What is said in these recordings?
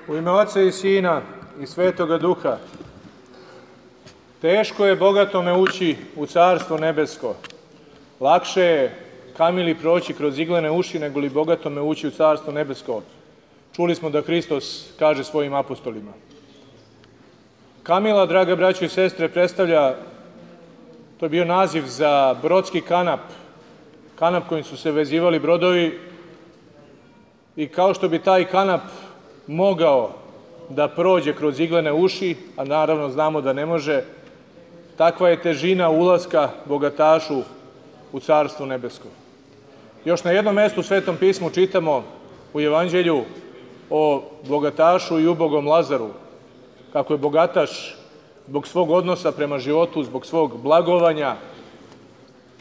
U ime Oca i Sina i Svetoga Duha. Teško je bogatome ući u Carstvo nebesko. Lakše je kamili proći kroz iglene uši, nego li bogatome ući u Carstvo nebesko. Čuli smo da Hristos kaže svojim apostolima. Kamila, draga braćo i sestre, predstavlja, to je bio naziv za brodski kanap kojim su se vezivali brodovi, i kao što bi taj kanap mogao da prođe kroz iglene uši, a naravno znamo da ne može, takva je težina ulaska bogatašu u Carstvo nebesko. Još na jednom mestu u Svetom pismu čitamo u Evanđelju o bogatašu i ubogom Lazaru, kako je bogataš zbog svog odnosa prema životu, zbog svog blagovanja,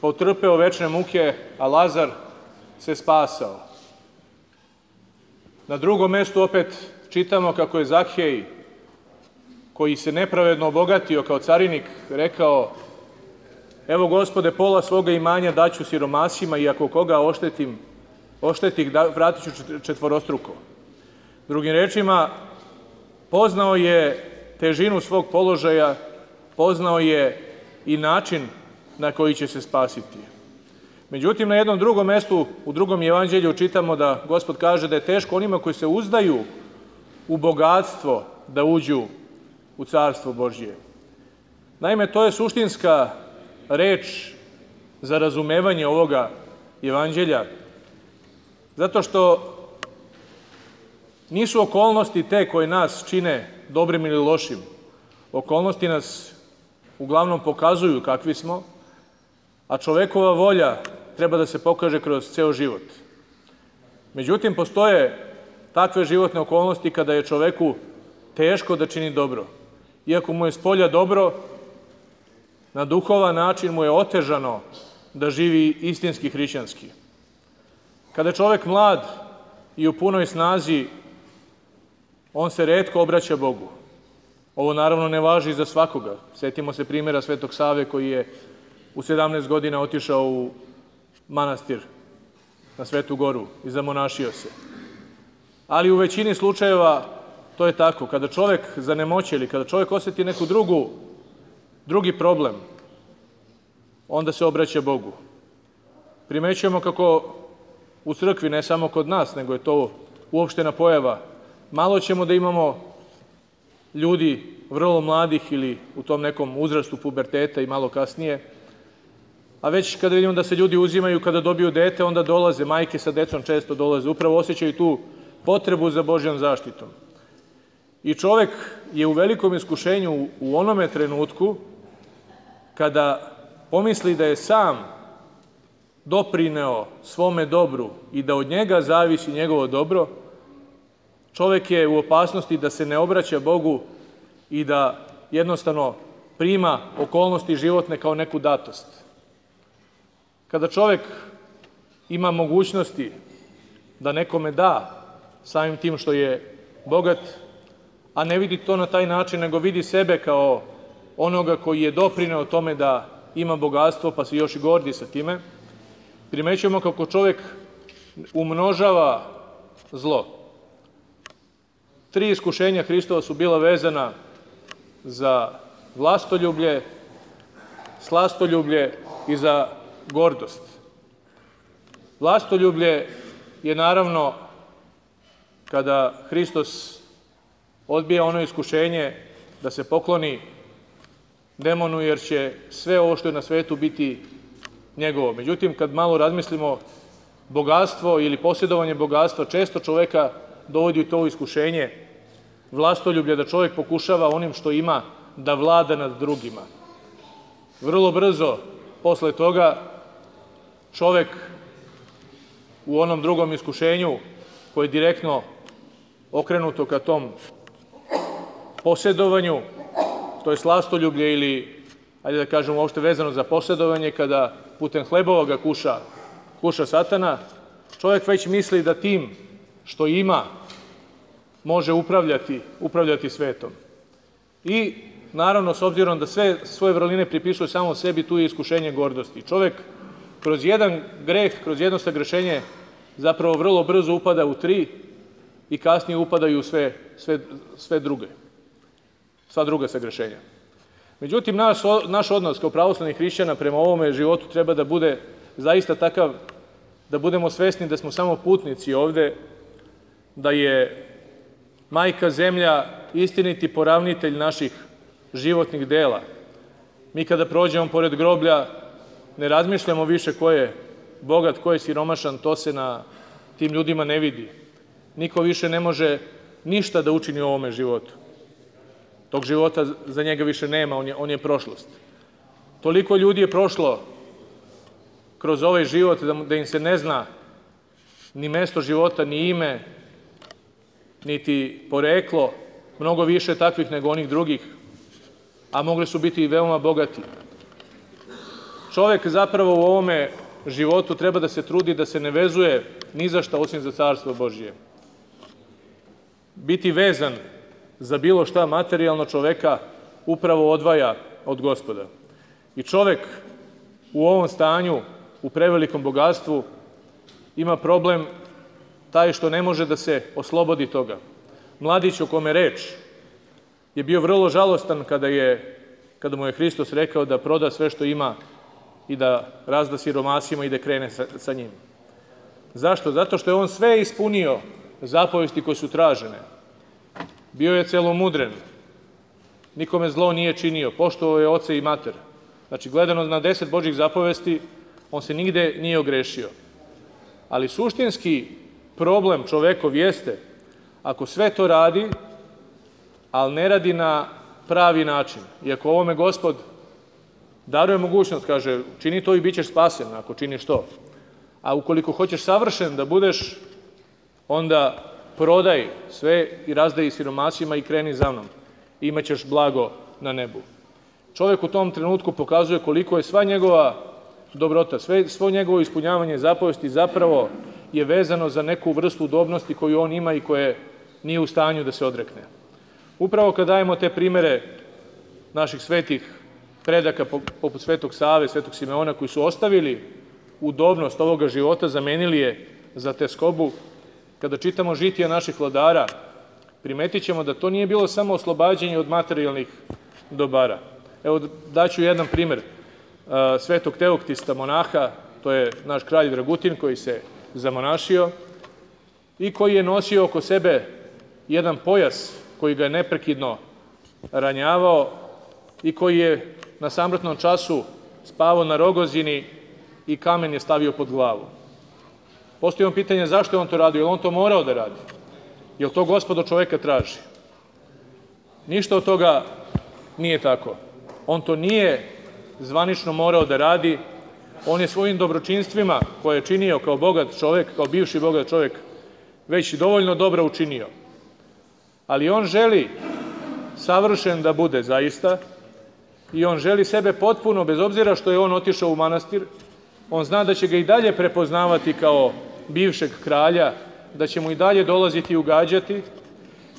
potrpeo večne muke, a Lazar se spasao. Na drugom mestu opet čitamo kako je Zakhej, koji se nepravedno obogatio kao carinik, rekao: evo, Gospode, pola svoga imanja daću siromasima, i ako koga oštetih, vratit ću četvorostruko. Drugim rečima, poznao je težinu svog položaja, poznao je i način na koji će se spasiti. Međutim, na jednom drugom mestu, u drugom evanđelju, čitamo da Gospod kaže da je teško onima koji se uzdaju u bogatstvo da uđu u Carstvo Božje. Naime, to je suštinska reč za razumevanje ovoga evanđelja, zato što nisu okolnosti te koje nas čine dobrim ili lošim. Okolnosti nas uglavnom pokazuju kakvi smo, a čovekova volja treba da se pokaže kroz ceo život. Međutim, postoje takve životne okolnosti kada je čoveku teško da čini dobro. Iako mu je spolja dobro, na duhovan način mu je otežano da živi istinski hrišćanski. Kada je čovek mlad i u punoj snazi, on se retko obraća Bogu. Ovo naravno ne važi za svakoga. Setimo se primjera Svetog Save, koji je u 17 godina otišao u manastir na Svetu Goru i zamonašio se. Ali u većini slučajeva to je tako. Kada čovek zanemoće ili kada čovek osjeti neku drugi problem, onda se obraća Bogu. Primećujemo kako u crkvi, ne samo kod nas, nego je to uopštena pojava, malo ćemo da imamo ljudi vrlo mladih ili u tom nekom uzrastu puberteta i malo kasnije, a već kada vidimo da se ljudi uzimaju kada dobiju dete, onda dolaze, majke sa decom često dolaze, upravo osjećaju tu potrebu za Božjom zaštitom. I čovek je u velikom iskušenju u onome trenutku kada pomisli da je sam doprineo svome dobru i da od njega zavisi njegovo dobro. Čovek je u opasnosti da se ne obraća Bogu i da jednostavno prima okolnosti životne kao neku datost. Kada čovek ima mogućnosti da nekome da samim tim što je bogat, a ne vidi to na taj način, nego vidi sebe kao onoga koji je doprineo tome da ima bogatstvo, pa se još i gordi sa time, primećujemo kako čovek umnožava zlo. 3 iskušenja Hristova su bila vezana za vlastoljublje, slastoljublje i za gordost. Vlastoljublje je naravno kada Hristos odbija ono iskušenje da se pokloni demonu, jer će sve ovo što je na svetu biti njegovo. Međutim, kad malo razmislimo, bogatstvo ili posjedovanje bogatstva često čoveka dovodi u to iskušenje vlastoljublja, da čovjek pokušava onim što ima da vlada nad drugima. Vrlo brzo posle toga čovek u onom drugom iskušenju, koje je direktno okrenuto ka tom posjedovanju, to je slastoljublje ili, ajde da kažemo uopšte vezano za posjedovanje, kada putem hlebova ga kuša Satana, čovjek već misli da tim što ima može upravljati svetom. I naravno, s obzirom da sve svoje vrline pripisuje samo sebi, tu je iskušenje gordosti. Čovjek kroz jedan greh, kroz jedno sagrešenje zapravo vrlo brzo upada u 3, i kasnije upadaju u sva druga sagrešenja. Međutim, naš odnos kao pravoslavnih hrišćana prema ovome životu treba da bude zaista takav da budemo svesni da smo samo putnici ovde, da je majka zemlja istiniti poravnitelj naših životnih dela. Mi kada prođemo pored groblja ne razmišljamo više ko je bogat, ko je siromašan, to se na tim ljudima ne vidi. Niko više ne može ništa da učini u ovome životu. Tog života za njega više nema, on je prošlost. Toliko ljudi je prošlo kroz ovaj život da im se ne zna ni mesto života, ni ime, niti poreklo, mnogo više takvih nego onih drugih, a mogli su biti i veoma bogati. Čovek zapravo u ovome životu treba da se trudi da se ne vezuje ni za šta osim za Carstvo Božije. Biti vezan za bilo šta materijalno čoveka upravo odvaja od Gospoda. I čovek u ovom stanju, u prevelikom bogatstvu, ima problem taj što ne može da se oslobodi toga. Mladić o kome reč je bio vrlo žalostan kada mu je Hristos rekao da proda sve što ima i da razda siromasima i da krene sa njim. Zašto? Zato što je on sve ispunio zapovesti koje su tražene. Bio je celomudren, nikome zlo nije činio, poštovao je oca i mater. Znači, gledano na 10 Božjih zapovesti, on se nigde nije ogrešio. Ali suštinski problem čovekov jeste, ako sve to radi, ali ne radi na pravi način. I ako ovome Gospod daruje mogućnost, kaže, čini to i bit ćeš spasen, ako činiš to. A ukoliko hoćeš savršen da budeš, onda prodaj sve i razdaj siromasima i kreni za mnom. Imaćeš blago na nebu. Čovjek u tom trenutku pokazuje koliko je sva njegova dobrota, svo njegovo ispunjavanje zapovesti zapravo je vezano za neku vrstu udobnosti koju on ima i koje nije u stanju da se odrekne. Upravo kad dajemo te primere naših svetih predaka poput Svetog Save, Svetog Simeona, koji su ostavili udobnost ovoga života, zamenili je za teskobu, kada čitamo žitija naših vladara, primetit ćemo da to nije bilo samo oslobađanje od materijalnih dobara. Evo, daću jedan primer Svetog Teoktista, monaha, to je naš kralj Dragutin koji se zamonašio i koji je nosio oko sebe jedan pojas koji ga je neprekidno ranjavao i koji je na samrtnom času spavao na Rogozini i kamen je stavio pod glavu. Postoji pitanje zašto je on to radio, je li on to morao da radi? Je li to Gospod od čoveka traži? Ništa od toga nije tako. On to nije zvanično morao da radi, on je svojim dobročinstvima koje je činio kao bogat čovek, kao bivši bogat čovek, već dovoljno dobro učinio. Ali on želi savršen da bude zaista i on želi sebe potpuno, bez obzira što je on otišao u manastir, on zna da će ga i dalje prepoznavati kao bivšeg kralja, da će mu i dalje dolaziti i ugađati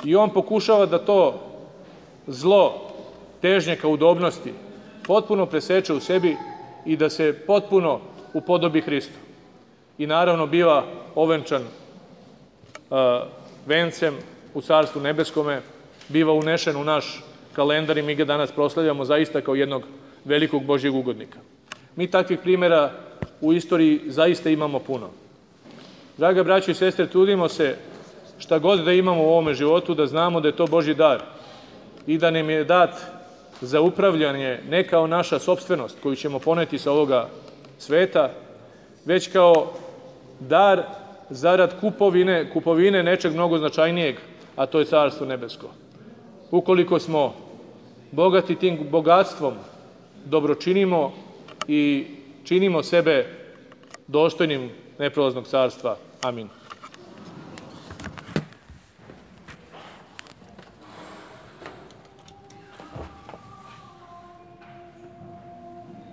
i on pokušava da to zlo težnje ka udobnosti potpuno preseče u sebi i da se potpuno upodobi Hristu. I naravno biva ovenčan vencem u Carstvu nebeskome, biva unešen u naš kalendar i mi ga danas proslavljamo zaista kao jednog velikog Božjeg ugodnika. Mi takvih primjera u istoriji zaista imamo puno. Draga braćo i sestre, trudimo se šta god da imamo u ovome životu, da znamo da je to Božji dar i da nam je dat za upravljanje ne kao naša sopstvenost koju ćemo poneti sa ovoga sveta, već kao dar zarad kupovine nečeg mnogo značajnijeg, a to je Carstvo nebesko. Ukoliko smo bogati tim bogatstvom, dobro činimo i činimo sebe dostojnim neprolaznog carstva. Amin.